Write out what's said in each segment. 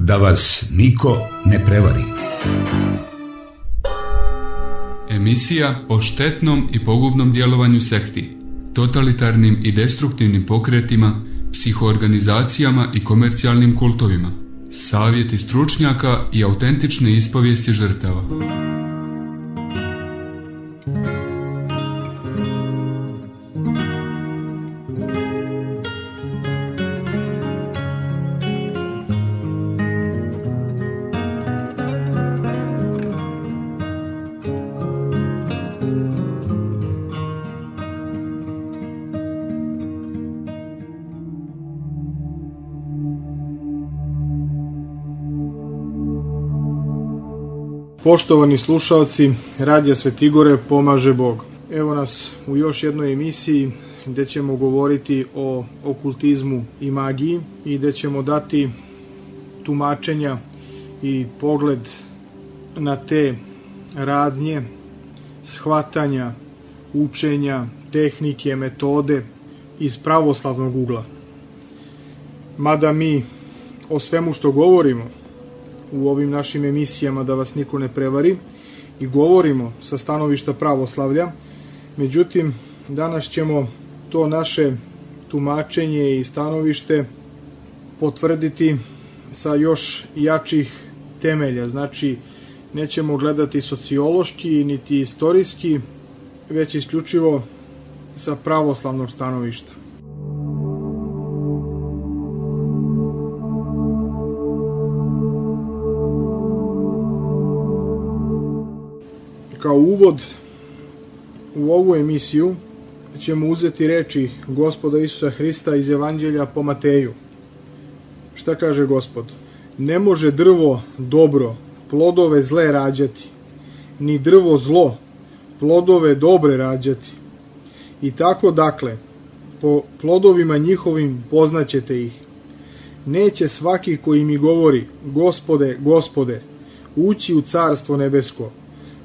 Da vas niko ne prevari. Emisija o štetnom i pogubnom djelovanju sekti, totalitarnim i destruktivnim pokretima, psihoorganizacijama i komercijalnim kultovima. Savjeti stručnjaka i autentične ispovijesti žrtava. Poštovani slušalci, Radija Svetigore pomaže Bog. Evo nas u još jednoj emisiji gdje ćemo govoriti o okultizmu i magiji i gdje ćemo dati tumačenja i pogled na te radnje, shvatanja, učenja, tehnike, metode iz pravoslavnog ugla. Mada mi o svemu što govorimo u ovim našim emisijama, da vas niko ne prevari, i govorimo sa stanovišta pravoslavlja, međutim danas ćemo to naše tumačenje i stanovište potvrditi sa još jačih temelja. Znači, nećemo gledati sociološki niti istorijski, već isključivo sa pravoslavnog stanovišta. Kao uvod u ovu emisiju ćemo uzeti reči Gospoda Isusa Hrista iz Evanđelja po Mateju. Šta kaže Gospod? Ne može drvo dobro plodove zle rađati, ni drvo zlo plodove dobre rađati. I tako dakle, po plodovima njihovim poznaćete ih. Neće svaki koji mi govori, Gospode, Gospode, ući u carstvo nebesko,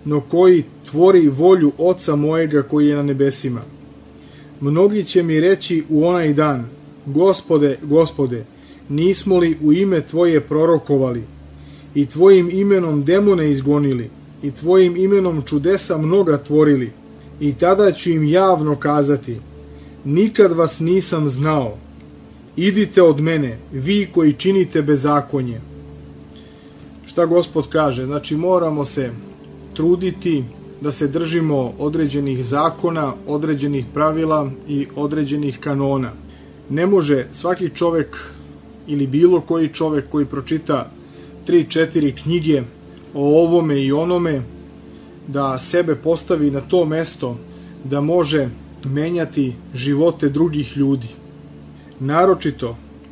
no koji tvori volju Oca mojega koji je na nebesima. Mnogi će mi reći u onaj dan, Gospode, Gospode, nismo li u ime Tvoje prorokovali, i Tvojim imenom demone izgonili, i Tvojim imenom čudesa mnoga tvorili, i tada ću im javno kazati, nikad vas nisam znao, idite od mene, vi koji činite bezakonje. Šta Gospod kaže? Znači, moramo se truditi da se držimo određenih zakona, određenih pravila i određenih kanona. Ne može svaki čovjek ili bilo koji čovjek koji pročita 3-4 knjige o ovome i onome da sebe postavi na to mesto da može menjati živote drugih ljudi.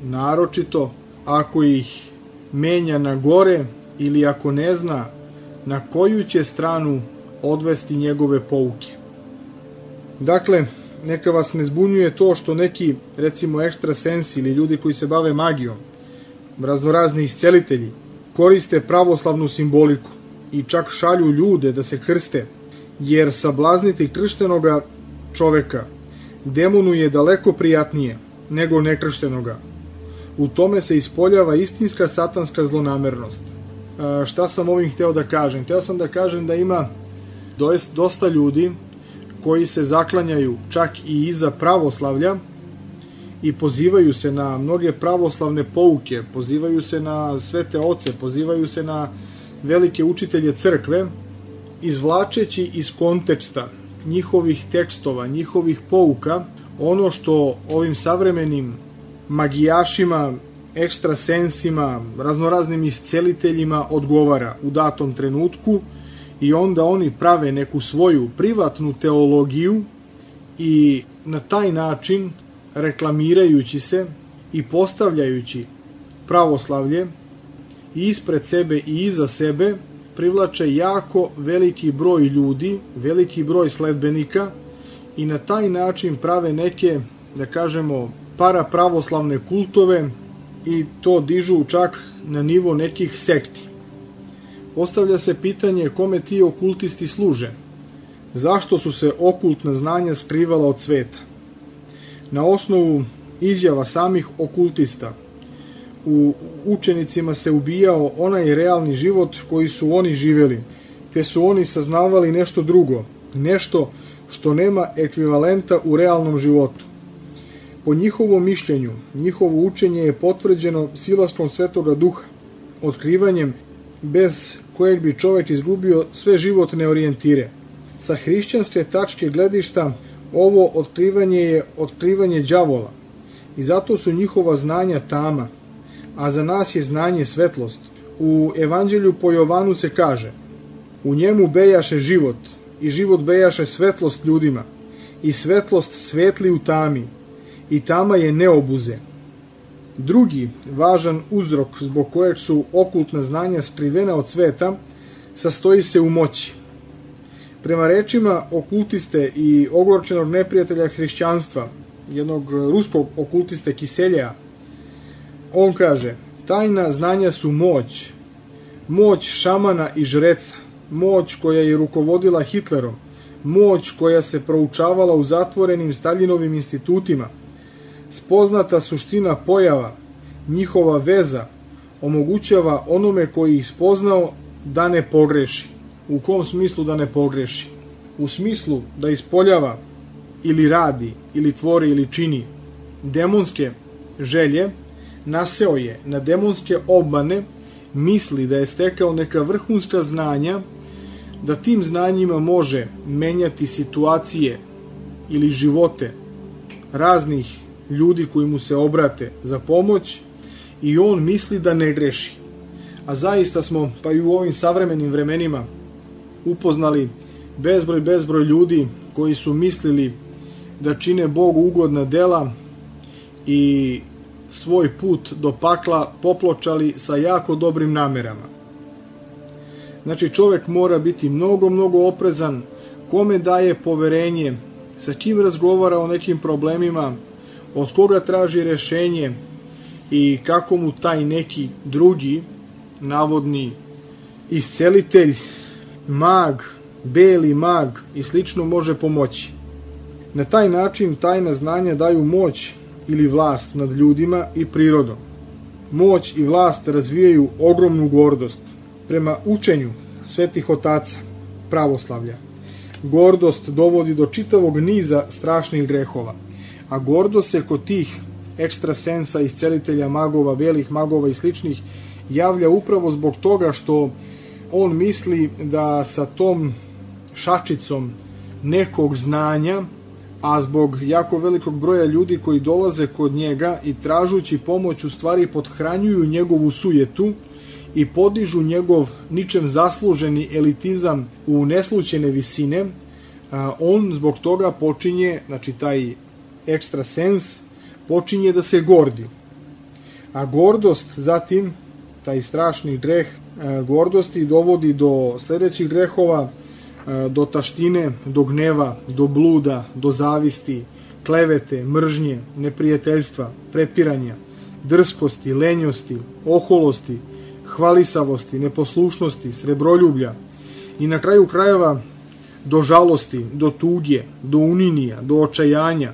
Naročito ako ih menja na gore ili ako ne zna na koju će stranu odvesti njegove pouke. Dakle, neka vas ne zbunjuje to što neki, recimo ekstrasensi ili ljudi koji se bave magijom, raznorazni iscelitelji, koriste pravoslavnu simboliku i čak šalju ljude da se krste, jer sablazniti krštenoga čoveka demonu je daleko prijatnije nego nekrštenoga. U tome se ispoljava istinska satanska zlonamernost. Šta sam ovim hteo da kažem? Hteo sam da kažem da ima dosta ljudi koji se zaklanjaju čak i iza pravoslavlja i pozivaju se na mnoge pravoslavne pouke, pozivaju se na svete oce, pozivaju se na velike učitelje crkve, izvlačeći iz konteksta njihovih tekstova, njihovih pouka, ono što ovim savremenim magijašima, ekstrasensima, raznoraznim isceliteljima odgovara u datom trenutku, i onda oni prave neku svoju privatnu teologiju i na taj način, reklamirajući se i postavljajući pravoslavlje ispred sebe i iza sebe, privlače jako veliki broj ljudi, veliki broj sledbenika, i na taj način prave neke, da kažemo, parapravoslavne kultove i to dižu čak na nivo nekih sekti. Postavlja se pitanje kome ti okultisti služe. Zašto su se okultna znanja skrivala od sveta? Na osnovu izjava samih okultista, u učenicima se ubijao onaj realni život koji su oni živjeli, te su oni saznavali nešto drugo, nešto što nema ekvivalenta u realnom životu. Po njihovom mišljenju, njihovo učenje je potvrđeno silaskom Svetoga Duha, otkrivanjem bez kojeg bi čovjek izgubio sve životne orijentire. Sa hrišćanske tačke gledišta ovo otkrivanje je otkrivanje đavola i zato su njihova znanja tama, a za nas je znanje svetlost. U Evanđelju po Jovanu se kaže: u njemu bejaše život i život bejaše svetlost ljudima i svetlost svetli u tami i tama je ne obuze. Drugi važan uzrok zbog kojeg su okultna znanja skrivena od sveta sastoji se u moći. Prema rečima okultiste i ogorčenog neprijatelja hrišćanstva, jednog ruskog okultiste Kiselja, on kaže: tajna znanja su moć, moć šamana i žreca, moć koja je rukovodila Hitlerom, moć koja se proučavala u zatvorenim Staljinovim institutima, spoznata suština pojava, njihova veza, omogućava onome koji ih spoznao da ne pogreši. U kom smislu da ne pogreši? U smislu da ispoljava ili radi, ili tvori, ili čini demonske želje, naseo je na demonske obmane, misli da je stekao neka vrhunska znanja, da tim znanjima može menjati situacije ili živote raznih ljudi koji mu se obrate za pomoć i on misli da ne greši. A zaista smo, pa i u ovim savremenim vremenima, upoznali bezbroj ljudi koji su mislili da čine Bogu ugodna dela i svoj put do pakla popločali sa jako dobrim namerama. Znači, čovjek mora biti mnogo oprezan kome daje poverenje, sa kim razgovara o nekim problemima, od koga traži rešenje i kako mu taj neki drugi, navodni iscelitelj, mag, beli mag i slično može pomoći. Na taj način tajna znanja daju moć ili vlast nad ljudima i prirodom. Moć i vlast razvijaju ogromnu gordost. Prema učenju svetih otaca pravoslavlja, gordost dovodi do čitavog niza strašnih grehova, a gordost se kod tih ekstrasensa, iscelitelja, magova, belih magova i sličnih javlja upravo zbog toga što on misli da sa tom šačicom nekog znanja, a zbog jako velikog broja ljudi koji dolaze kod njega i tražući pomoć u stvari pothranjuju njegovu sujetu i podižu njegov ničem zasluženi elitizam u neslućene visine, on zbog toga počinje, znači taj ekstrasens, počinje da se gordi. A gordost zatim, taj strašni greh gordosti dovodi do sljedećih grehova, do taštine, do gneva, do bluda, do zavisti, klevete, mržnje, neprijateljstva, prepiranja, drskosti, lenjosti, oholosti, hvalisavosti, neposlušnosti, srebroljublja i na kraju krajeva do žalosti, do tuge, do uninija, do očajanja,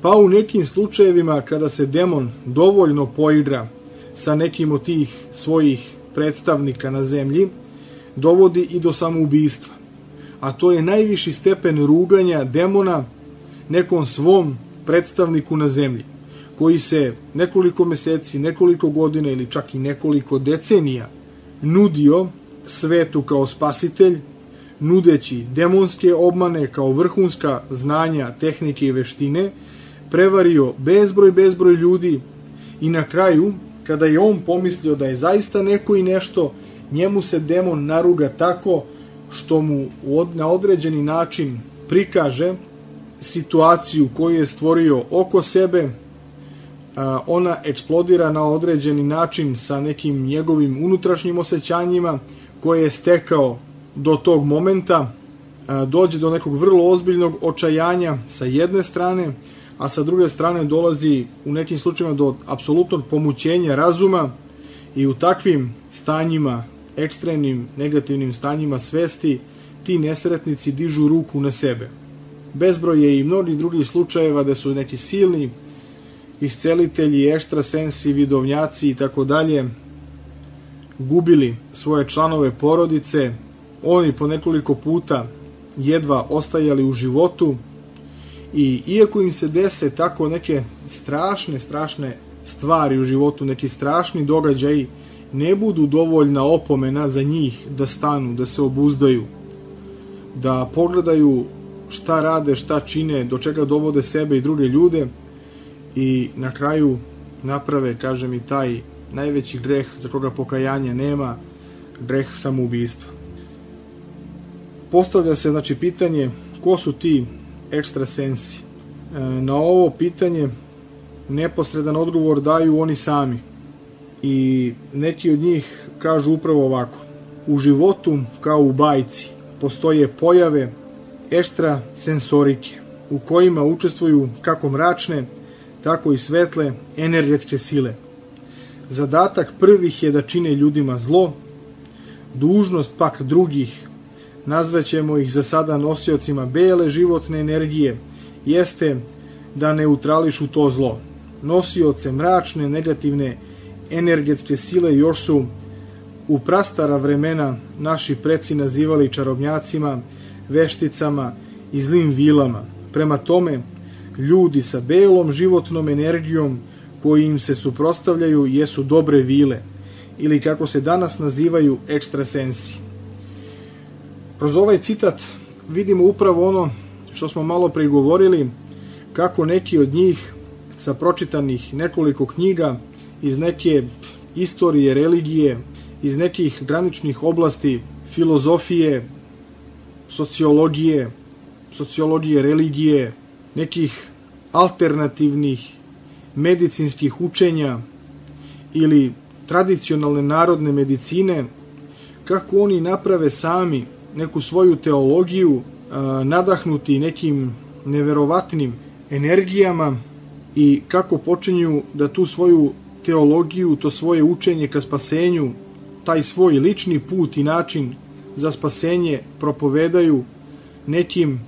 pa u nekim slučajevima kada se demon dovoljno poigra sa nekim od tih svojih predstavnika na zemlji, dovodi i do samoubistva. A to je najviši stepen ruganja demona nekom svom predstavniku na zemlji, koji se nekoliko meseci, nekoliko godina ili čak i nekoliko decenija nudio svetu kao spasitelj, nudeći demonske obmane kao vrhunska znanja, tehnike i veštine, prevario bezbroj ljudi i na kraju, kada je on pomislio da je zaista neko i nešto, njemu se demon naruga tako što mu na određeni način prikaže situaciju koju je stvorio oko sebe, ona eksplodira na određeni način sa nekim njegovim unutrašnjim osjećanjima koje je stekao do tog momenta, dođe do nekog vrlo ozbiljnog očajanja sa jedne strane, a sa druge strane dolazi u nekim slučajima do apsolutnog pomućenja razuma i u takvim stanjima, ekstremnim negativnim stanjima svesti, ti nesretnici dižu ruku na sebe. Bezbroj je i mnogih drugih slučajeva da su neki silni iscelitelji, ekstrasensi, vidovnjaci i tako dalje gubili svoje članove porodice, oni po nekoliko puta jedva ostajali u životu i iako im se dese tako neke strašne stvari u životu, neki strašni događaji, ne budu dovoljna opomena za njih da stanu, da se obuzdaju, da pogledaju šta rade, šta čine, do čega dovode sebe i druge ljude i na kraju naprave, kažem, i taj najveći greh za koga pokajanja nema, greh samoubistva. Postavlja se znači pitanje ko su ti ekstrasensi. Na ovo pitanje neposredan odgovor daju oni sami i neki od njih kažu upravo ovako: u životu kao u bajci postoje pojave ekstrasensorike u kojima učestvuju kako mračne, tako i svetle energetske sile. Zadatak prvih je da čine ljudima zlo, dužnost pak drugih, nazvaćemo ih za sada nosiocima bele životne energije, jeste da neutrališu to zlo. Nosioce mračne, negativne energetske sile još su u prastara vremena naši preci nazivali čarobnjacima, vešticama i zlim vilama. Prema tome, ljudi sa belom životnom energijom koji im se suprotstavljaju jesu dobre vile, ili kako se danas nazivaju ekstrasensi. Kroz ovaj citat vidimo upravo ono što smo malo pre govorili, kako neki od njih sa pročitanih nekoliko knjiga iz neke istorije, religije, iz nekih graničnih oblasti, filozofije, sociologije religije, nekih alternativnih medicinskih učenja ili tradicionalne narodne medicine, kako oni naprave sami neku svoju teologiju, nadahnuti nekim neverovatnim energijama i kako počinju da tu svoju teologiju, to svoje učenje ka spasenju, taj svoj lični put i način za spasenje propovedaju nekim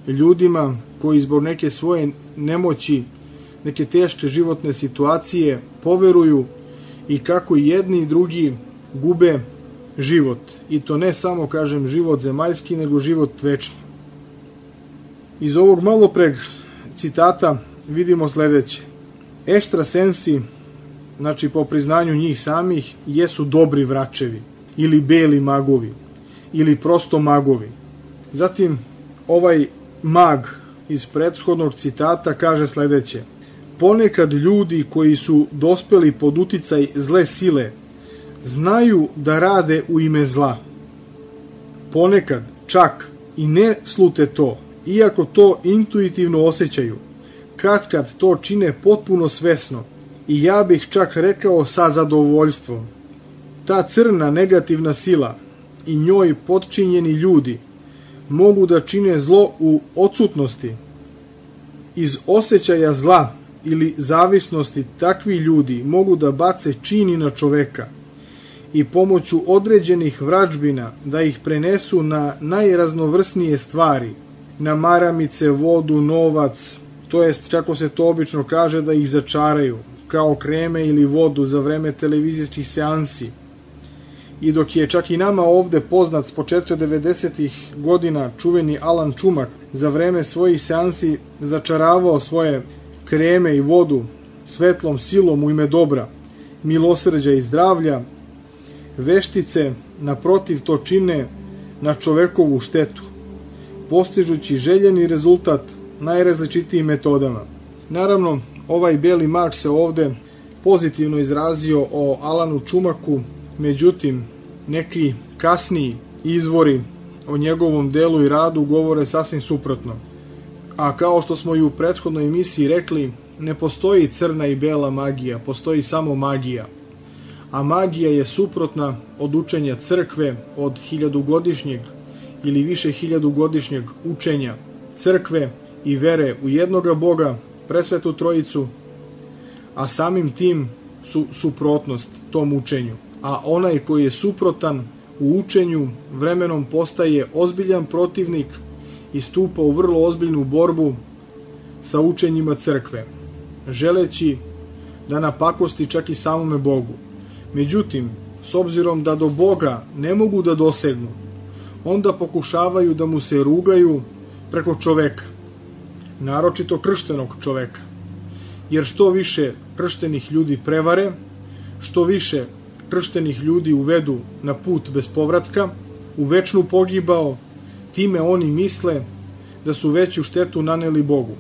ljudima koji zbog neke svoje nemoći, neke teške životne situacije poveruju i kako jedni i drugi gube život. I to ne samo, kažem, život zemaljski, nego život večni. Iz ovog malopreg citata vidimo sledeće. Ekstrasensi, znači po priznanju njih samih, jesu dobri vračevi ili beli magovi ili prosto magovi. Zatim ovaj mag iz prethodnog citata kaže sledeće: ponekad ljudi koji su dospeli pod uticaj zle sile znaju da rade u ime zla. Ponekad čak i ne slute to, iako to intuitivno osjećaju, kad to čine potpuno svesno i ja bih čak rekao sa zadovoljstvom. Ta crna negativna sila i njoj potčinjeni ljudi mogu da čine zlo u odsutnosti. Iz osjećaja zla ili zavisnosti takvi ljudi mogu da bace čini na čoveka i pomoću određenih vražbina da ih prenesu na najraznovrsnije stvari, na maramice, vodu, novac, to jest, kako se to obično kaže, da ih začaraju, kao kreme ili vodu za vreme televizijskih seansi. I dok je čak i nama ovde poznat s početka 90-ih godina čuveni Alan Čumak za vreme svojih seansi začaravao svoje kreme i vodu svetlom silom u ime dobra, milosrđa i zdravlja, veštice naprotiv to čine na čovekovu štetu, postižući željeni rezultat najrazličitijim metodama. Naravno, ovaj beli mag se ovde pozitivno izrazio o Alanu Čumaku, međutim, neki kasniji izvori o njegovom delu i radu govore sasvim suprotno. A kao što smo i u prethodnoj emisiji rekli, ne postoji crna i bela magija, postoji samo magija. A magija je suprotna od učenja crkve, od 1000-godišnjeg ili više 1000-godišnjeg učenja crkve i vere u jednoga Boga, presvetu trojicu, a samim tim su suprotnost tom učenju. A onaj koji je suprotan u učenju vremenom postaje ozbiljan protivnik i stupa u vrlo ozbiljnu borbu sa učenjima crkve. želeći da napakosti čak i samome Bogu. Međutim, s obzirom da do Boga ne mogu da dosegnu, onda pokušavaju da mu se rugaju preko čoveka, naročito krštenog čoveka. Jer što više krštenih ljudi prevare, što više krštenih ljudi uvedu na put bez povratka, u večnu pogibao, time oni misle da su veću štetu naneli Bogu.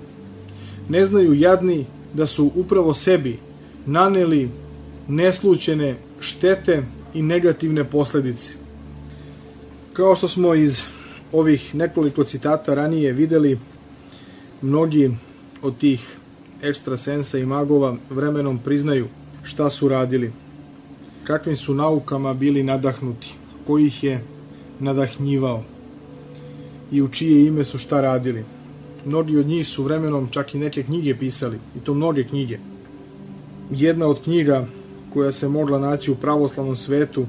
Ne znaju jadni da su upravo sebi naneli neslućene štete i negativne posledice. Kao što smo iz ovih nekoliko citata ranije videli, mnogi od tih ekstrasensa i magova vremenom priznaju šta su radili, kakvim su naukama bili nadahnuti, ko ih je nadahnjivao i u čije ime su šta radili. Mnogi od njih su vremenom čak i neke knjige pisali, i to mnoge knjige. Jedna od knjiga koja se mogla naći u pravoslavnom svetu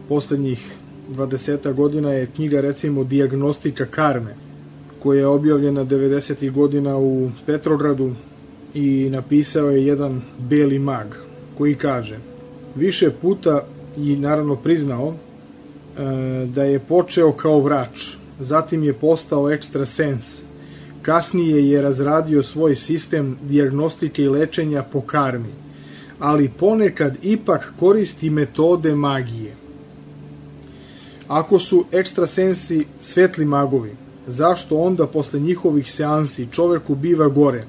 poslednjih 20 godina je knjiga, recimo, Dijagnostika karme, koja je objavljena 90. godina u Petrogradu i napisao je jedan beli mag koji kaže: više puta i naravno priznao da je počeo kao vrač, zatim je postao ekstrasens, kasnije je razradio svoj sistem dijagnostike i lečenja po karmi, ali ponekad ipak koristi metode magije. Ako su ekstrasensi svetli magovi, zašto onda posle njihovih seansi čoveku biva gore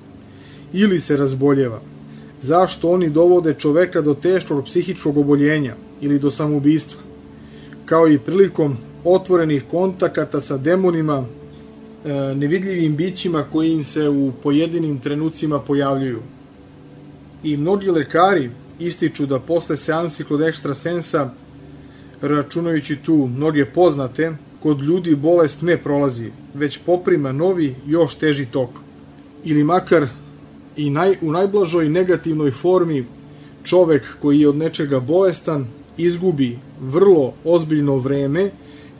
ili se razboljeva? Zašto oni dovode čoveka do teškog psihičkog oboljenja ili do samoubistva? Kao i prilikom otvorenih kontakata sa demonima, nevidljivim bićima koji im se u pojedinim trenucima pojavljuju. I mnogi lekari ističu da posle seansi kod ekstrasensa, računajući tu mnoge poznate, kod ljudi bolest ne prolazi, već poprima novi, još teži tok. Ili makar i u najblažoj negativnoj formi čovek koji je od nečega bolestan izgubi vrlo ozbiljno vreme,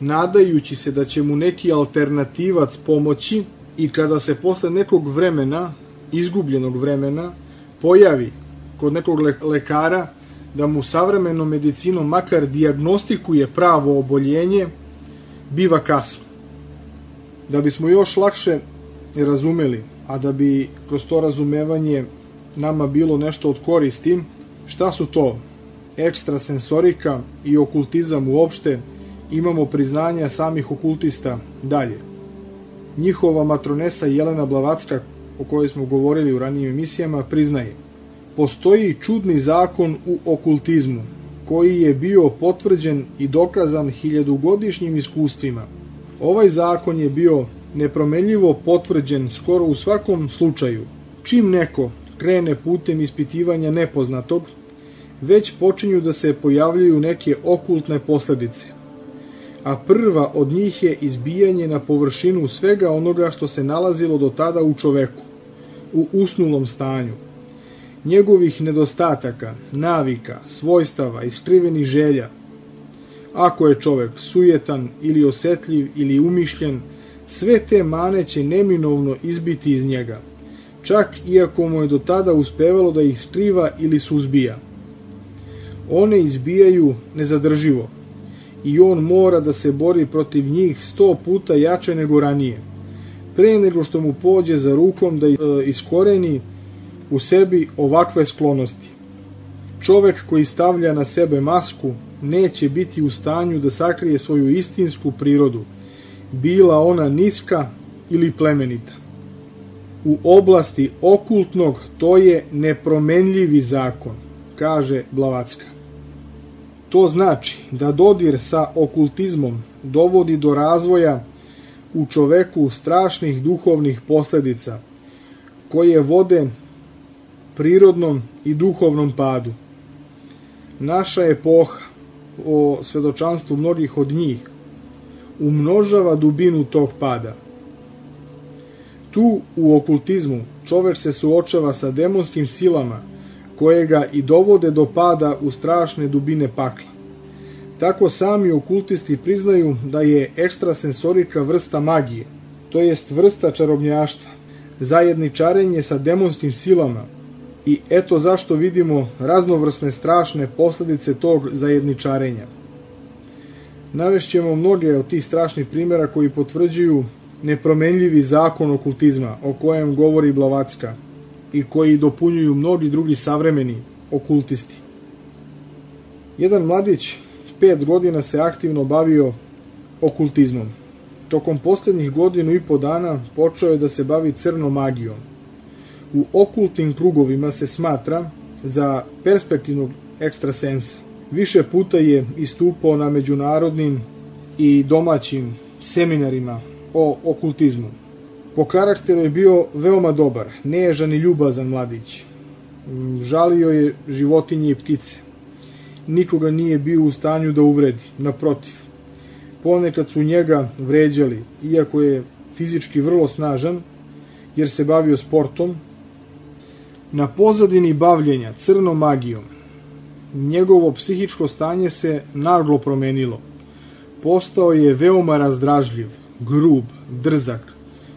nadajući se da će mu neki alternativac pomoći, i kada se posle nekog vremena, izgubljenog vremena, pojavi kod nekog lekara da mu savremenom medicinom makar dijagnostikuje pravo oboljenje, biva kasno. Da bismo još lakše razumeli, a da bi kroz to razumevanje nama bilo nešto od koristi, šta su to ekstrasensorika i okultizam uopšte, imamo priznanja samih okultista dalje. Njihova matronesa Jelena Blavacka, o kojoj smo govorili u ranijim emisijama, priznaje: postoji čudni zakon u okultizmu, koji je bio potvrđen i dokazan 1000-godišnjim iskustvima. Ovaj zakon je bio nepromenljivo potvrđen skoro u svakom slučaju. Čim neko krene putem ispitivanja nepoznatog, već počinju da se pojavljuju neke okultne posledice. A prva od njih je izbijanje na površinu svega onoga što se nalazilo do tada u čoveku, u usnulom stanju. Njegovih nedostataka, navika, svojstava i skrivenih želja. Ako je čovek sujetan ili osetljiv ili umišljen, sve te mane će neminovno izbiti iz njega, čak iako mu je do tada uspevalo da ih skriva ili suzbija. One izbijaju nezadrživo i on mora da se bori protiv njih 100 puta jače nego ranije, pre nego što mu pođe za rukom da iskoreni u sebi ovakve sklonosti. Čovek koji stavlja na sebe masku neće biti u stanju da sakrije svoju istinsku prirodu, bila ona niska ili plemenita. U oblasti okultnog to je nepromenljivi zakon, kaže Blavacka. To znači da dodir sa okultizmom dovodi do razvoja u čoveku strašnih duhovnih posledica, koje vode prirodnom i duhovnom padu. Naša epoha, o svedočanstvu mnogih od njih, umnožava dubinu tog pada. Tu u okultizmu čovek se suočava sa demonskim silama koje ga i dovode do pada u strašne dubine pakla. Tako sami okultisti priznaju da je ekstrasensorika vrsta magije, to jest vrsta čarobnjaštva, zajedničarenje sa demonskim silama, I eto zašto vidimo raznovrsne strašne posljedice tog zajedničarenja. Navešćemo mnoge od tih strašnih primjera koji potvrđuju nepromenljivi zakon okultizma o kojem govori Blavatsky i koji dopunjuju mnogi drugi savremeni okultisti. Jedan mladić 5 godina se aktivno bavio okultizmom. Tokom posljednjih 1.5 dana počeo je da se bavi crnom magijom. U okultnim krugovima se smatra za perspektivnog ekstrasensa. Više puta je istupao na međunarodnim i domaćim seminarima o okultizmu. Po karakteru je bio veoma dobar, nežan i ljubazan mladić. Žalio je životinje i ptice. Nikoga nije bio u stanju da uvredi, naprotiv. Ponekad su njega vređali, iako je fizički vrlo snažan, jer se bavio sportom. Na pozadini bavljenja crnom magijom, njegovo psihičko stanje se naglo promenilo. Postao je veoma razdražljiv, grub, drzak,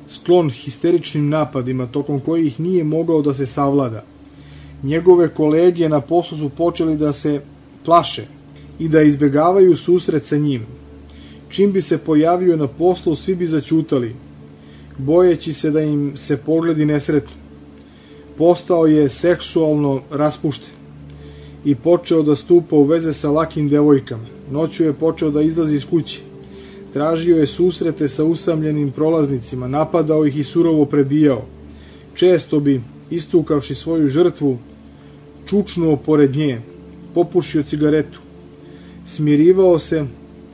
sklon histeričnim napadima tokom kojih nije mogao da se savlada. Njegove kolege na poslu su počeli da se plaše i da izbegavaju susret sa njim. Čim bi se pojavio na poslu, svi bi zaćutali, bojeći se da im se pogledi nesretnu. Postao je seksualno raspušten i počeo da stupa u veze sa lakim devojkama. Noću je počeo da izlazi iz kuće. Tražio je susrete sa usamljenim prolaznicima, napadao ih i surovo prebijao. Često bi, istukavši svoju žrtvu, čučnuo pored nje, popušio cigaretu, smirivao se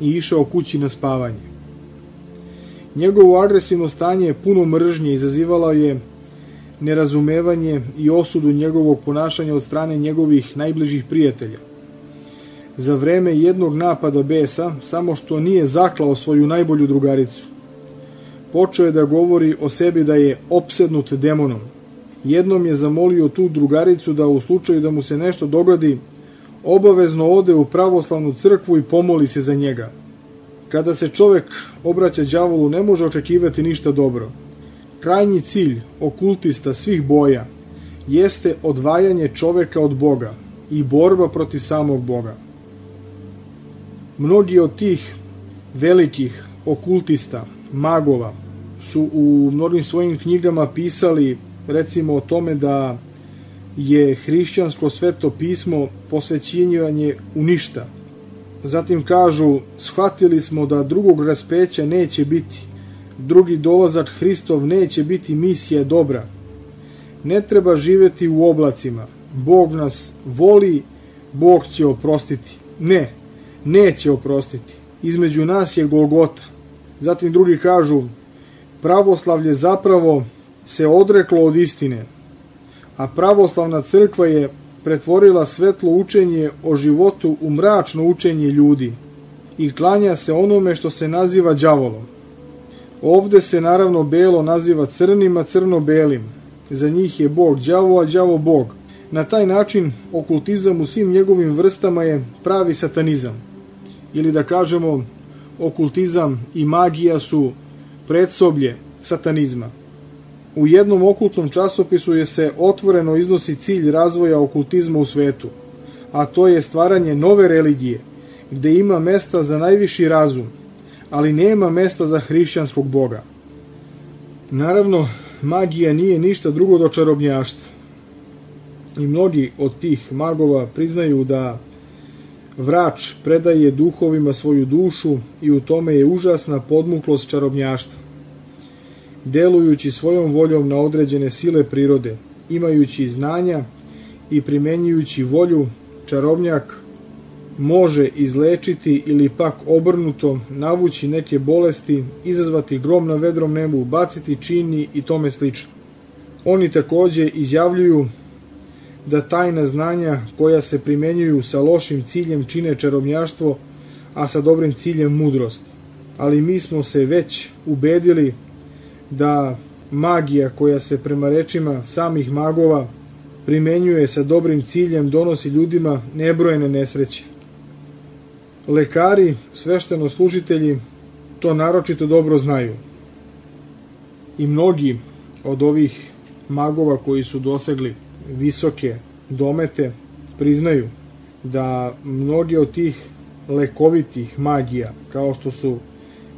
i išao kući na spavanje. Njegovo agresivno stanje puno mržnje izazivalo je nerazumevanje i osudu njegovog ponašanja od strane njegovih najbližih prijatelja. Za vreme jednog napada besa, samo što nije zaklao svoju najbolju drugaricu. Počeo je da govori o sebi da je opsednut demonom. Jednom je zamolio tu drugaricu da u slučaju da mu se nešto dogodi, obavezno ode u pravoslavnu crkvu i pomoli se za njega. Kada se čovek obraća đavolu, ne može očekivati ništa dobro. Krajnji cilj okultista svih boja jeste odvajanje čoveka od Boga i borba protiv samog Boga. Mnogi od tih velikih okultista, magova, su u mnogim svojim knjigama pisali recimo o tome da je hrišćansko sveto pismo posvećivanje u ništa. Zatim kažu, shvatili smo da drugog raspeća neće biti, drugi dolazak Hristov neće biti misija dobra. Ne treba živeti u oblacima, Bog nas voli, Bog će oprostiti. Ne, neće oprostiti, između nas je Golgota. Zatim drugi kažu, pravoslavlje zapravo se odreklo od istine, a pravoslavna crkva je pretvorila svetlo učenje o životu u mračno učenje ljudi i klanja se onome što se naziva đavolom. Ovde se naravno belo naziva crnim, a crno belim. Za njih je Bog đavo, a đavo Bog. Na taj način okultizam u svim njegovim vrstama je pravi satanizam. Ili da kažemo, okultizam i magija su predsoblje satanizma. U jednom okultnom časopisu je se otvoreno iznosi cilj razvoja okultizma u svetu, a to je stvaranje nove religije, gde ima mesta za najviši razum, ali nema mesta za hrišćanskog Boga. Naravno, magija nije ništa drugo do čarobnjaštva. I mnogi od tih magova priznaju da vrač predaje duhovima svoju dušu i u tome je užasna podmuklost čarobnjaštva. Delujući svojom voljom na određene sile prirode, imajući znanja i primenjujući volju, čarobnjak može izlečiti ili pak obrnuto navući neke bolesti, izazvati grom na vedrom nebu, baciti čini i tome slično. Oni takođe izjavljuju da tajna znanja koja se primenjuju sa lošim ciljem čine čarobnjaštvo, a sa dobrim ciljem mudrost. Ali mi smo se već ubedili da magija koja se prema rečima samih magova primenjuje sa dobrim ciljem donosi ljudima nebrojene nesreće. Lekari, sveštenoslужitelji to naročito dobro znaju. I mnogi od ovih magova koji su dosegli visoke domete priznaju da mnoge od tih lekovitih magija, kao što su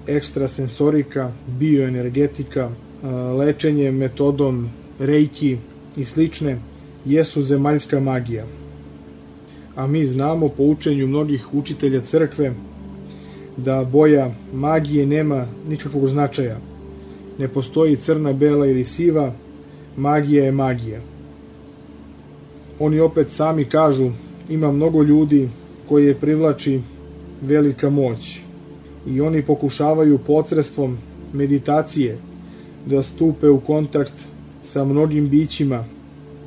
ekstrasensorika, bioenergetika, lečenje metodom reiki i slične, jesu zemaljska magija. A mi znamo po učenju mnogih učitelja crkve da boja magije nema nikakvog značaja. Ne postoji crna, bela ili siva, magija je magija. Oni opet sami kažu, ima mnogo ljudi koje privlači velika moć i oni pokušavaju posredstvom meditacije da stupe u kontakt sa mnogim bićima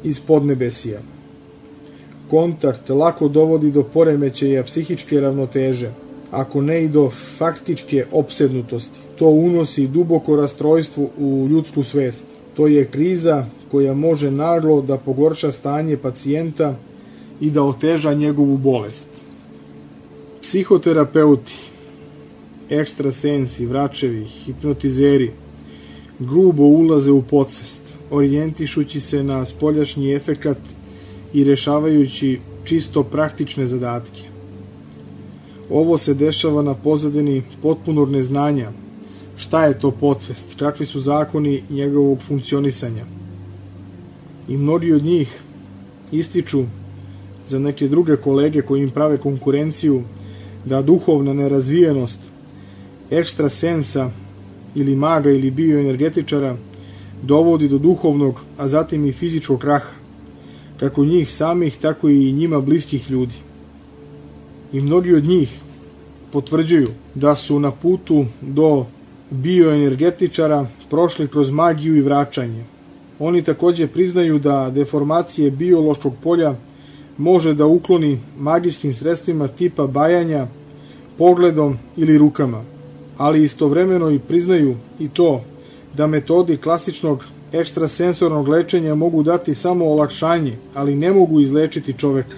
iz podnebesija. Kontakt lako dovodi do poremećaja psihičke ravnoteže, ako ne i do faktičke opsednutosti. To unosi duboko rastrojstvo u ljudsku svest. To je kriza koja može naglo da pogorša stanje pacijenta i da oteža njegovu bolest. Psihoterapeuti, ekstrasensi, vračevi, hipnotizeri grubo ulaze u podsvest, orijentišući se na spoljašnji efekat i rešavajući čisto praktične zadatke. Ovo se dešava na pozadini potpunog neznanja šta je to podsvest, kakvi su zakoni njegovog funkcionisanja. I mnogi od njih ističu za neke druge kolege koji im prave konkurenciju da duhovna nerazvijenost ekstrasensa ili maga ili bioenergetičara dovodi do duhovnog, a zatim i fizičkog kraha, kako njih samih, tako i njima bliskih ljudi. I mnogi od njih potvrđuju da su na putu do bioenergetičara prošli kroz magiju i vraćanje. Oni takođe priznaju da deformacije biološkog polja može da ukloni magijskim sredstvima tipa bajanja, pogledom ili rukama, ali istovremeno i priznaju i to da metodi klasičnog ekstrasensornog lečenja mogu dati samo olakšanje, ali ne mogu izlečiti čoveka,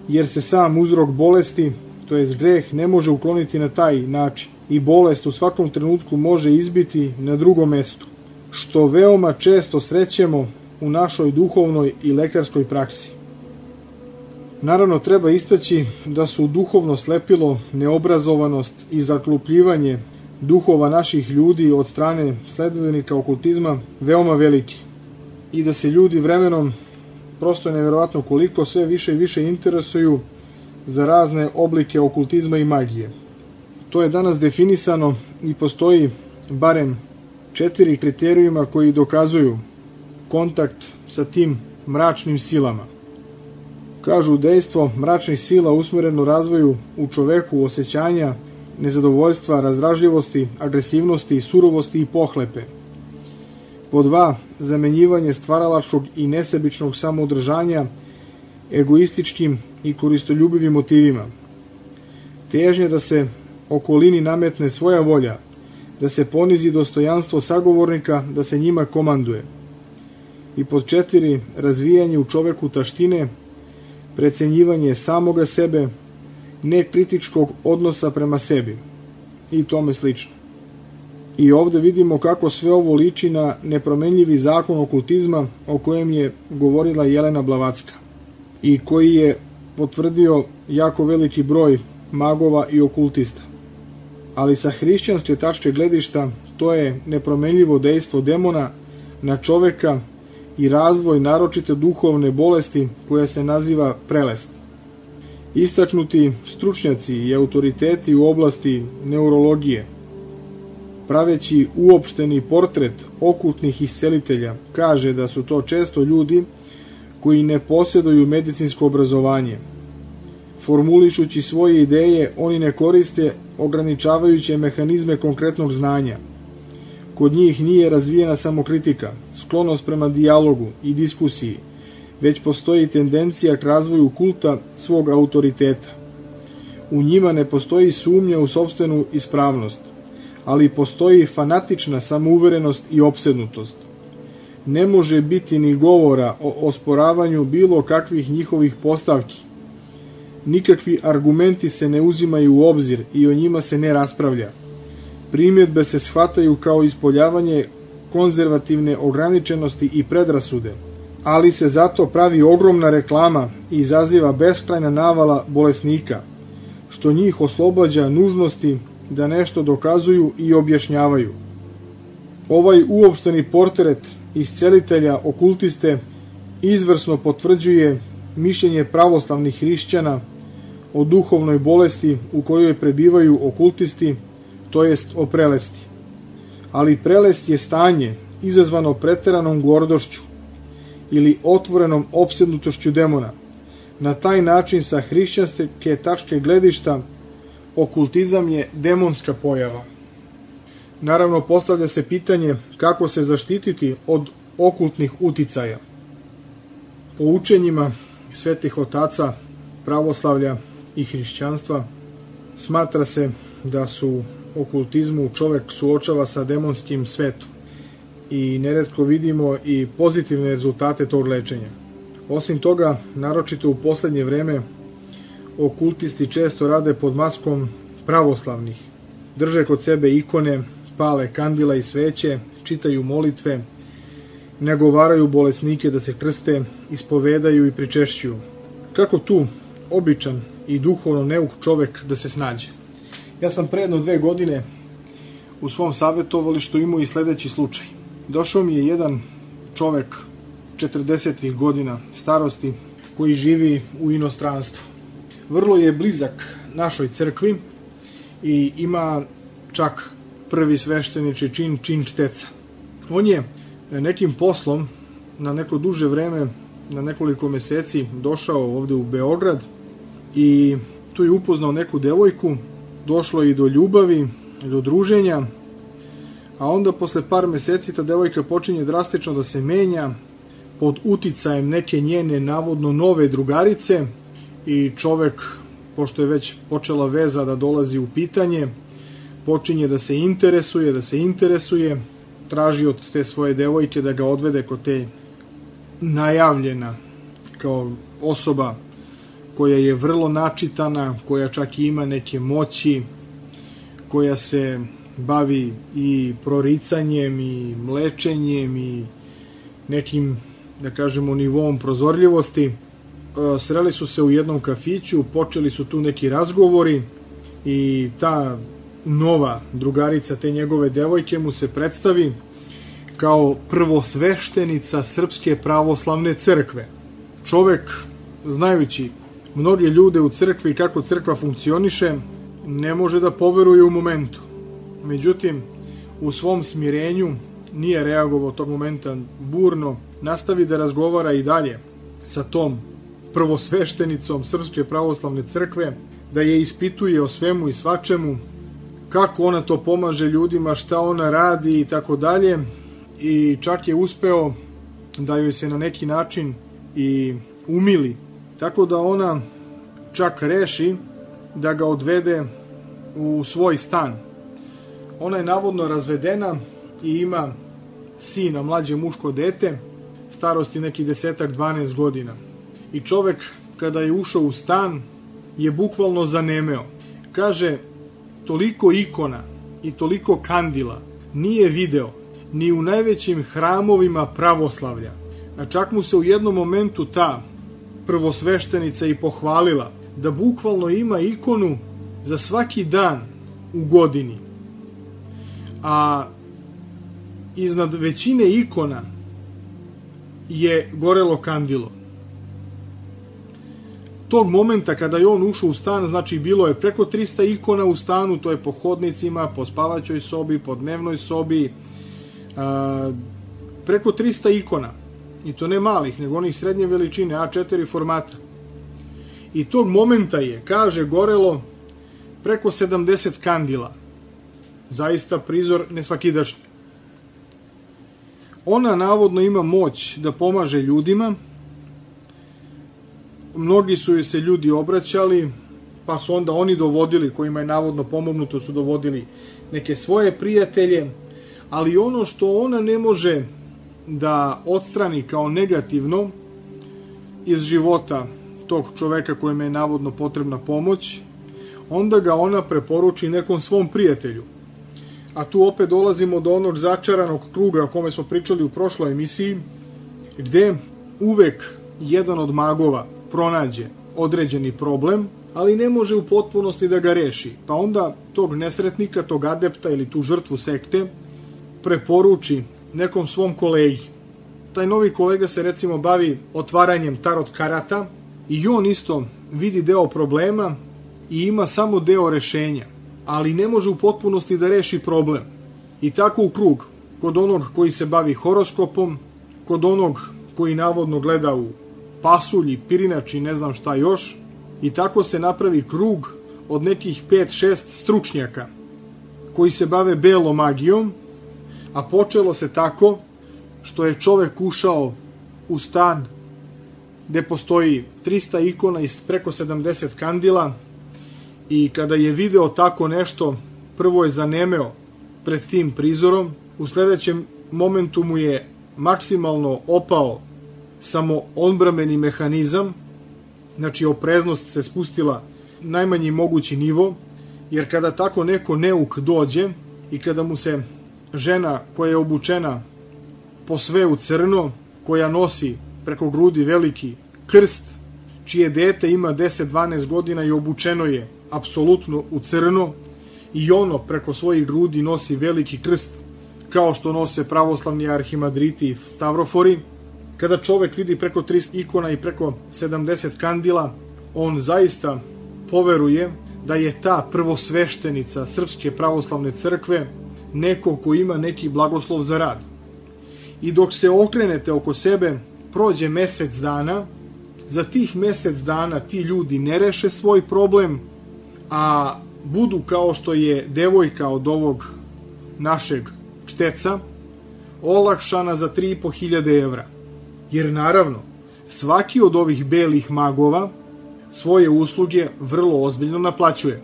jer se sam uzrok bolesti, to jest greh, ne može ukloniti na taj način i bolest u svakom trenutku može izbiti na drugom mestu, što veoma često srećemo u našoj duhovnoj i lekarskoj praksi. Naravno, treba istaći da su duhovno slepilo, neobrazovanost i zaklupljivanje duhova naših ljudi od strane sledbenika okultizma veoma veliki i da se ljudi vremenom, prosto je neverovatno koliko, sve više i više interesuju za razne oblike okultizma i magije. To je danas definisano i postoji barem 4 kriterijuma koji dokazuju kontakt sa tim mračnim silama. Kažu, dejstvo mračnih sila usmereno razvoju u čoveku osjećanja nezadovoljstva, razdražljivosti, agresivnosti, surovosti i pohlepe. Po 2, zamenjivanje stvaralačkog i nesebičnog samoodržanja egoističkim i koristoljubivim motivima. Težnje da se okolini nametne svoja volja, da se ponizi dostojanstvo sagovornika, da se njima komanduje. I pod 4, razvijanje u čoveku taštine, precenjivanje samoga sebe, nekritičkog odnosa prema sebi i tome slično. I ovde vidimo kako sve ovo liči na nepromenljivi zakon okultizma o kojem je govorila Jelena Blavatska i koji je potvrdio jako veliki broj magova i okultista. Ali sa hrišćanske tačke gledišta to je nepromenljivo dejstvo demona na čoveka i razvoj naročite duhovne bolesti koja se naziva prelest. Istaknuti stručnjaci i autoriteti u oblasti neurologije, praveći uopšteni portret okultnih iscelitelja, kaže da su to često ljudi koji ne posjeduju medicinsko obrazovanje. Formulišući svoje ideje, oni ne koriste ograničavajuće mehanizme konkretnog znanja. Kod njih nije razvijena samokritika, sklonost prema dijalogu i diskusiji, već postoji tendencija k razvoju kulta svog autoriteta. U njima ne postoji sumnja u sopstvenu ispravnost, ali postoji fanatična samouverenost i opsednutost. Ne može biti ni govora o osporavanju bilo kakvih njihovih postavki. Nikakvi argumenti se ne uzimaju u obzir i o njima se ne raspravlja. Primjedbe se shvataju kao ispoljavanje konzervativne ograničenosti i predrasude, ali se zato pravi ogromna reklama i izaziva beskrajna navala bolesnika, što njih oslobađa nužnosti da nešto dokazuju i objašnjavaju. Ovaj uopšteni portret iscelitelja okultiste izvrsno potvrđuje mišljenje pravoslavnih hrišćana o duhovnoj bolesti u kojoj prebivaju okultisti, to jest o prelesti. Ali prelest je stanje izazvano preteranom gordošću ili otvorenom opsednutošću demona. Na taj način sa hrišćanske tačke gledišta okultizam je demonska pojava. Naravno, postavlja se pitanje kako se zaštititi od okultnih uticaja. Po učenjima svetih otaca, pravoslavlja i hrišćanstva smatra se da su okultizmu čovek suočava sa demonskim svetom i neretko vidimo i pozitivne rezultate tog lečenja. Osim toga, naročito u poslednje vreme, okultisti često rade pod maskom pravoslavnih. Drže kod sebe ikone, pale kandila i sveće, čitaju molitve, nagovaraju bolesnike da se krste, ispovedaju i pričešćuju. Kako tu običan i duhovno neuk čovek da se snađe? Ja sam pre jedno 2 godine u svom savjetovalištu imao i sledeći slučaj. Došao mi je jedan čovek 40 godina starosti koji živi u inostranstvu. Vrlo je blizak našoj crkvi i ima čak prvi sveštenički čin, čin čteca. On je nekim poslom na neko duže vreme, na nekoliko meseci, došao ovde u Beograd i tu je upoznao neku devojku, došlo i do ljubavi, do druženja, a onda posle par meseci ta devojka počinje drastično da se menja pod uticajem neke njene navodno nove drugarice i čovek, pošto je već počela veza da dolazi u pitanje, počinje da se interesuje, traži od te svoje devojke da ga odvede kod te najavljena kao osoba koja je vrlo načitana, koja čak ima neke moći, koja se bavi i proricanjem i lečenjem i nekim, da kažemo, nivoom prozorljivosti. Sreli su se u jednom kafiću, počeli su tu neki razgovori i ta nova drugarica te njegove devojke mu se predstavi kao prvosveštenica Srpske pravoslavne crkve. Čovek, znajući mnoge ljude u crkvi i kako crkva funkcioniše, ne može da poveruje u momentu. Međutim, u svom smirenju nije reagovao tog momenta burno, nastavi da razgovara i dalje sa tom prvosveštenicom Srpske pravoslavne crkve, da je ispituje o svemu i svačemu, kako ona to pomaže ljudima, šta ona radi i tako dalje, i čak je uspeo da joj se na neki način i umili, tako da ona čak reši da ga odvede u svoj stan. Ona je navodno razvedena i ima sina, mlađe muško dete, starosti nekih 10-12 godina. I čovek, kada je ušao u stan, je bukvalno zanemeo. Kaže, toliko ikona i toliko kandila nije video ni u najvećim hramovima pravoslavlja. A čak mu se u jednom momentu ta prvosveštenica i pohvalila da bukvalno ima ikonu za svaki dan u godini. A iznad većine ikona je gorelo kandilo. Tog momenta kada je on ušao u stan, znači bilo je preko 300 ikona u stanu, to je po hodnicima, po spavaćoj sobi, po dnevnoj sobi, preko 300 ikona, i to ne malih, nego onih srednje veličine, A4 formata. I tog momenta je, kaže, gorelo preko 70 kandila. Zaista prizor nesvakidašnji. Ona navodno ima moć da pomaže ljudima. Mnogi su joj se ljudi obraćali, pa su onda oni dovodili, kojima je navodno pomognuto, su dovodili neke svoje prijatelje, ali ono što ona ne može da odstrani kao negativno iz života tog čoveka kojima je navodno potrebna pomoć, onda ga ona preporuči nekom svom prijatelju. A tu opet dolazimo do onog začaranog kruga o kome smo pričali u prošloj emisiji, gde uvek jedan od magova pronađe određeni problem, ali ne može u potpunosti da ga reši. Pa onda tog nesretnika, tog adepta ili tu žrtvu sekte preporuči nekom svom kolegi. Taj novi kolega se recimo bavi otvaranjem tarot karata i on isto vidi deo problema i ima samo deo rešenja, ali ne može u potpunosti da reši problem. I tako u krug, kod onog koji se bavi horoskopom, kod onog koji navodno gleda u pasulj, pirinač i ne znam šta još, i tako se napravi krug od nekih 5-6 stručnjaka koji se bave belom magijom, a počelo se tako što je čovek ušao u stan gde postoji 300 ikona i preko 70 kandila i kada je video tako nešto, prvo je zanemeo pred tim prizorom, u sledećem momentu mu je maksimalno opao samo odbrambeni mehanizam, znači opreznost se spustila najmanji mogući nivo, jer kada tako neko neuk dođe i kada mu se žena koja je obučena po sve u crno, koja nosi preko grudi veliki krst, čije dete ima 10-12 godina i obučeno je apsolutno u crno, i ono preko svojih grudi nosi veliki krst, kao što nose pravoslavni arhimadriti i stavrofori. Kada čovek vidi preko 300 ikona i preko 70 kandila, on zaista poveruje da je ta prvosveštenica Srpske pravoslavne crkve neko ko ima neki blagoslov za rad. I dok se okrenete oko sebe, prođe mesec dana, za tih mesec dana ti ljudi ne reše svoj problem, a budu kao što je devojka od ovog našeg čteca, olakšana za 3.500 evra. Jer naravno, svaki od ovih belih magova svoje usluge vrlo ozbiljno naplaćuje.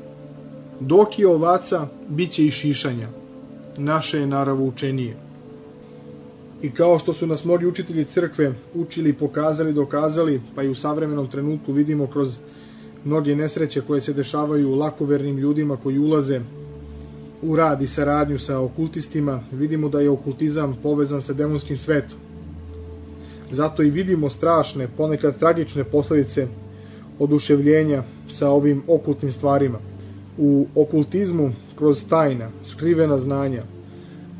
Dok je ovaca, bit će i šišanja. Naše je naravoučenije. I kao što su nas mnogi učitelji crkve učili, pokazali, dokazali, pa i u savremenom trenutku vidimo kroz mnoge nesreće koje se dešavaju lakovernim ljudima koji ulaze u rad i saradnju sa okultistima, vidimo da je okultizam povezan sa demonskim svetom. Zato i vidimo strašne, ponekad tragične posledice oduševljenja sa ovim okultnim stvarima. U okultizmu, kroz tajna, skrivena znanja,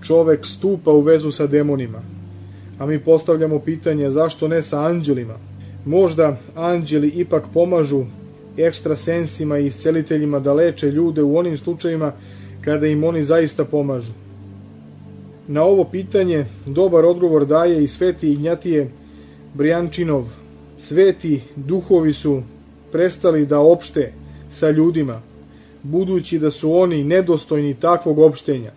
čovek stupa u vezu sa demonima, a mi postavljamo pitanje zašto ne sa anđelima. Možda anđeli ipak pomažu ekstrasensima i isceliteljima da leče ljude u onim slučajima kada im oni zaista pomažu. Na ovo pitanje dobar odgovor daje i sveti Ignjatije Brijančinov. Sveti duhovi su prestali da opšte sa ljudima, budući da su oni nedostojni takvog opštenja.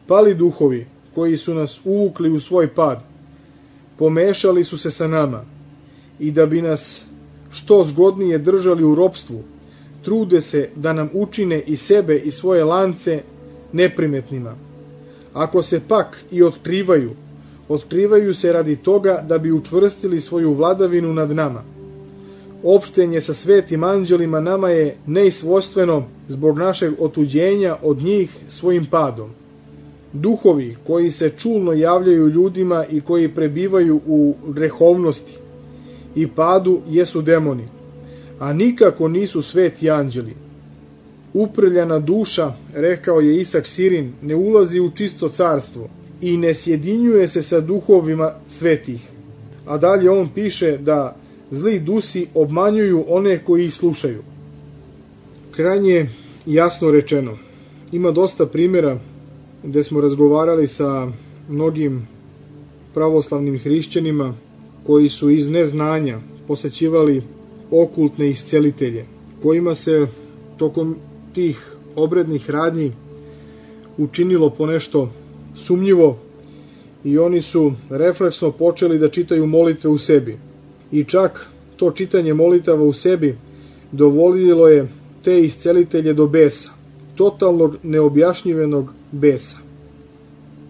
Pali duhovi, koji su nas uvukli u svoj pad, pomešali su se sa nama i da bi nas što zgodnije držali u ropstvu, trude se da nam učine i sebe i svoje lance neprimetnima. Ako se pak i otkrivaju, otkrivaju se radi toga da bi učvrstili svoju vladavinu nad nama. Opštenje sa svetim anđelima nama je neisvojstveno zbog našeg otuđenja od njih svojim padom. Duhovi koji se čulno javljaju ljudima i koji prebivaju u grehovnosti i padu jesu demoni, a nikako nisu sveti anđeli. Uprljana duša, rekao je Isak Sirin, ne ulazi u čisto carstvo i ne sjedinjuje se sa duhovima svetih. A dalje on piše da zli dusi obmanjuju one koji ih slušaju. Krajnje jasno rečeno. Ima dosta primjera gde smo razgovarali sa mnogim pravoslavnim hrišćanima koji su iz neznanja posećivali okultne iscelitelje, kojima se tokom tih obrednih radnji učinilo ponešto sumnjivo i oni su refleksno počeli da čitaju molitve u sebi. I čak to čitanje molitava u sebi dovodilo je te iscelitelje do besa, totalnog neobjašnjivenog besa.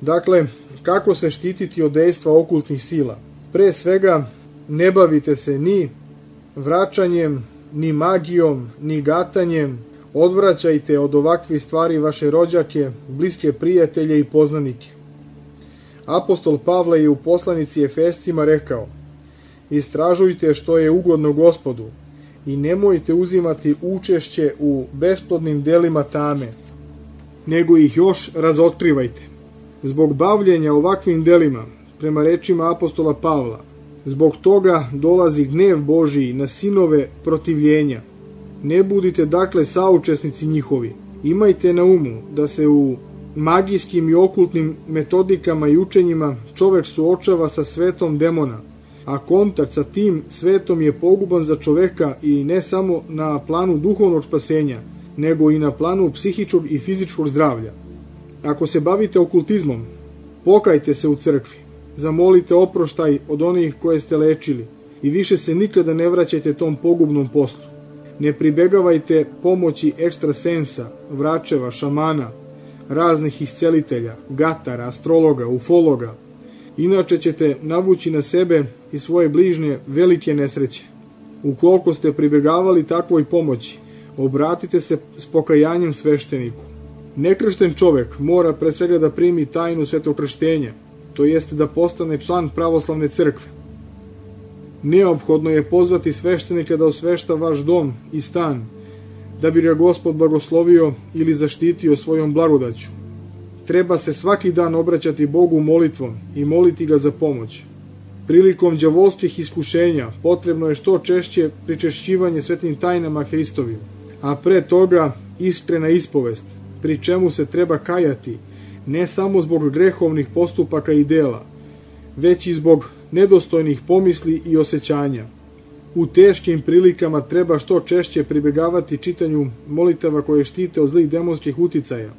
Dakle, kako se štititi od dejstva okultnih sila? Pre svega, ne bavite se ni vraćanjem, ni magijom, ni gatanjem, odvraćajte od ovakvih stvari vaše rođake, bliske prijatelje i poznanike. Apostol Pavle je u poslanici Efescima rekao: Istražujte što je ugodno Gospodu i nemojte uzimati učešće u besplodnim delima tame, nego ih još razotkrivajte. Zbog bavljenja ovakvim delima, prema rečima apostola Pavla, zbog toga dolazi gnev Božiji na sinove protivljenja. Ne budite dakle saučesnici njihovi. Imajte na umu da se u magijskim i okultnim metodikama i učenjima čovek suočava sa svetom demona, a kontakt sa tim svetom je poguban za čoveka i ne samo na planu duhovnog spasenja, nego i na planu psihičkog i fizičkog zdravlja. Ako se bavite okultizmom, pokajte se u crkvi, zamolite oproštaj od onih koje ste lečili i više se nikada ne vraćajte tom pogubnom poslu. Ne pribegavajte pomoći ekstrasensa, vračeva, šamana, raznih iscelitelja, gatara, astrologa, ufologa. Inače ćete navući na sebe i svoje bližnje velike nesreće. Ukoliko ste pribegavali takvoj pomoći, obratite se s pokajanjem svešteniku. Nekršten čovek mora pre svega da primi tajnu svetog krštenja, to jeste da postane član pravoslavne crkve. Neophodno je pozvati sveštenika da osvešta vaš dom i stan, da bi ga Gospod blagoslovio ili zaštitio svojom blagodaću. Treba se svaki dan obraćati Bogu molitvom i moliti ga za pomoć. Prilikom đavolskih iskušenja potrebno je što češće pričešćivanje svetim tajnama Hristovim, a pre toga iskrena ispovest, pri čemu se treba kajati ne samo zbog grehovnih postupaka i dela, već i zbog nedostojnih pomisli i osjećanja. U teškim prilikama treba što češće pribegavati čitanju molitava koje štite od zlih demonskih uticaja.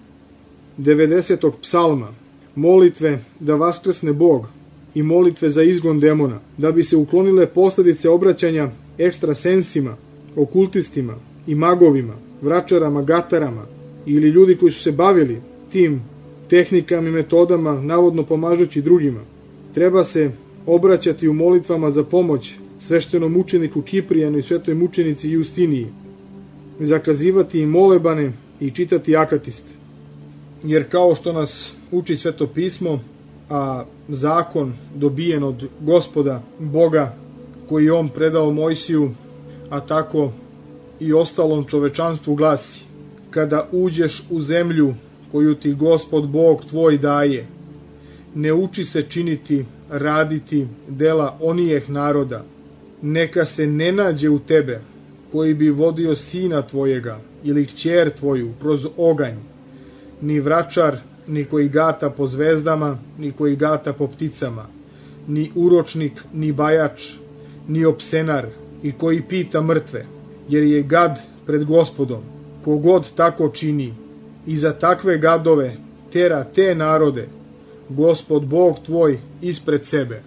90. psalma, molitve da vaskrsne Bog i molitve za izgon demona, da bi se uklonile posledice obraćanja ekstrasensima, okultistima i magovima, vračarama, gatarama ili ljudi koji su se bavili tim tehnikama i metodama, navodno pomažući drugima. Treba se obraćati u molitvama za pomoć sveštenom mučeniku Kiprijanu i svetoj mučenici Justiniji, zakazivati im molebane i čitati akatiste. Jer kao što nas uči Sveto pismo, a zakon dobijen od Gospoda Boga koji je on predao Mojsiju, a tako i ostalom čovečanstvu glasi: kada uđeš u zemlju koju ti Gospod Bog tvoj daje, ne uči se činiti, raditi dela onijeh naroda, neka se ne nađe u tebe koji bi vodio sina tvojega ili kćer tvoju kroz oganj, ni vračar, ni koji gata po zvezdama, ni koji gata po pticama, ni uročnik, ni bajač, ni opsenar, i koji pita mrtve, jer je gad pred Gospodom. Kogod tako čini, i za takve gadove tera te narode Gospod Bog tvoj ispred sebe.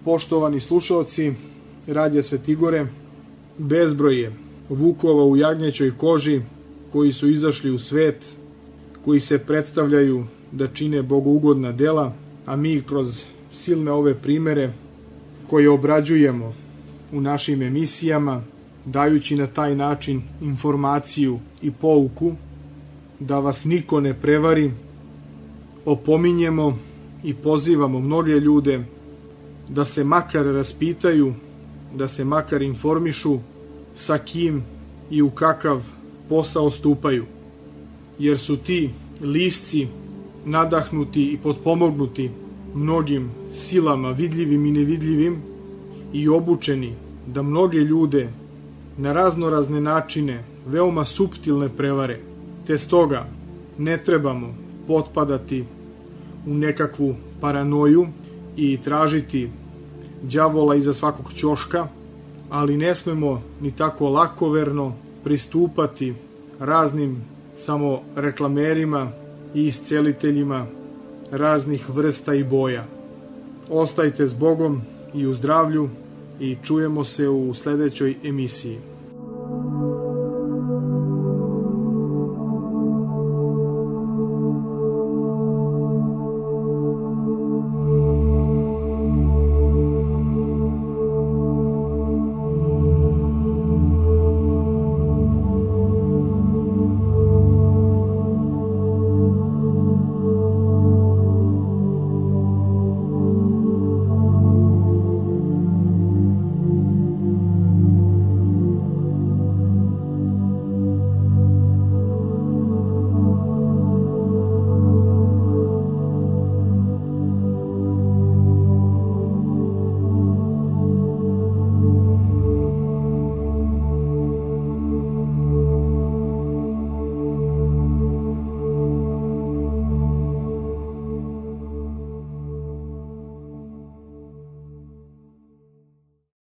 Poštovani slušaoci Radija Svetigore, bezbroj je vukova u jagnjećoj koži koji su izašli u svet, koji se predstavljaju da čine bogougodna dela, a mi kroz silne ove primere koje obrađujemo u našim emisijama, dajući na taj način informaciju i pouku, da vas niko ne prevari, opominjemo i pozivamo mnoge ljude da se makar raspitaju, da se makar informišu sa kim i u kakav posao stupaju, jer su ti lisci nadahnuti i potpomognuti mnogim silama vidljivim i nevidljivim i obučeni da mnoge ljude na raznorazne načine veoma suptilne prevare, te stoga ne trebamo potpadati u nekakvu paranoju i tražiti đavola iza svakog ćoška, ali ne smemo ni tako lakoverno pristupati raznim samo reklamerima i isceliteljima raznih vrsta i boja. Ostajte s Bogom i u zdravlju i čujemo se u sledećoj emisiji.